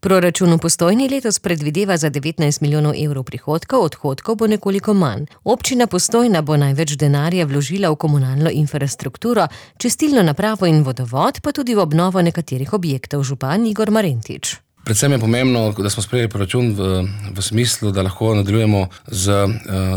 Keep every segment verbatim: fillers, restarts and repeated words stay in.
Proračun v Postojni letos predvideva za devetnajst milijonov evrov prihodkov, odhodkov bo nekoliko manj. Občina Postojna bo največ denarja vložila v komunalno infrastrukturo, čistilno napravo in vodovod, pa tudi v obnovo nekaterih objektov, župan Igor Marentič. Predvsem je pomembno, da smo sprejeli proračun v, v smislu, da lahko nadaljujemo z uh,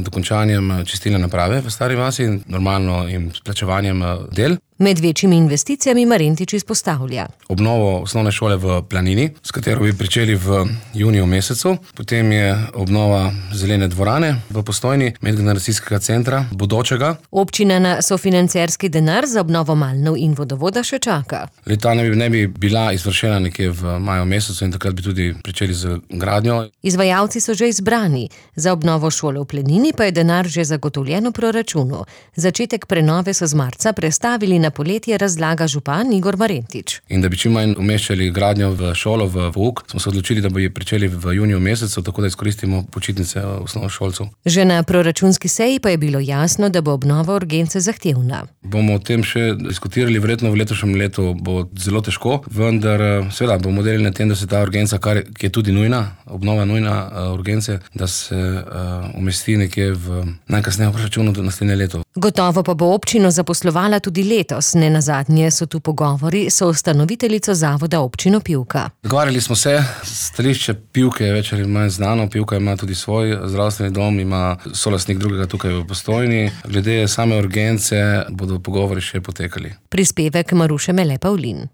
dokončanjem čistilne naprave v Stari vasi in normalno in s plačevanjem uh, del. Med večjimi investicijami Marentič izpostavlja obnovo osnovne šole v Planini, s katero bi pričeli v juniju mesecu. Potem je obnova zelene dvorane v Postojni, medgeneracijskega centra, bodočega. Občina na sofinancerski denar za obnovo Malnov in vodovoda še čaka. Leta ne bi, ne bi bila izvršena nekje v maju mesecu in takrat bi tudi pričeli z gradnjo. Izvajalci so že izbrani. Za obnovo šole v Planini pa je denar že zagotovljen v proračunu. Začetek prenove so z marca prestavili na Na poletje, razlaga župan Igor Marentič. In da bi čim manj umeščali gradnjo v šolo, v pouk, smo se odločili, da bo je pričeli v juniju mesecu, tako da izkoristimo počitnice osnovnošolcev. Že na proračunski seji pa je bilo jasno, da bo obnova urgence zahtevna. Bomo o tem še diskutirali, verjetno v letošnjem letu bo zelo težko, vendar seveda bomo delali na tem, da se ta urgenca, kar je tudi nujna, obnova nujna uh, urgence, da se uh, umesti nekje v najkasneje v proračunu do naslednje leto. Gotovo pa bo občino zaposlovala tudi letos. Nenazadnje so tu pogovori s ustanoviteljico zavoda Občino Pivka. Dogovarjali smo se, stališče Pivke je več ali manj znano, Pivka ima tudi svoj zdravstveni dom, ima solastnik drugega tukaj v Postojni. Glede same urgence bodo pogovori še potekali. Prispevek Maruše Mele Pavlin.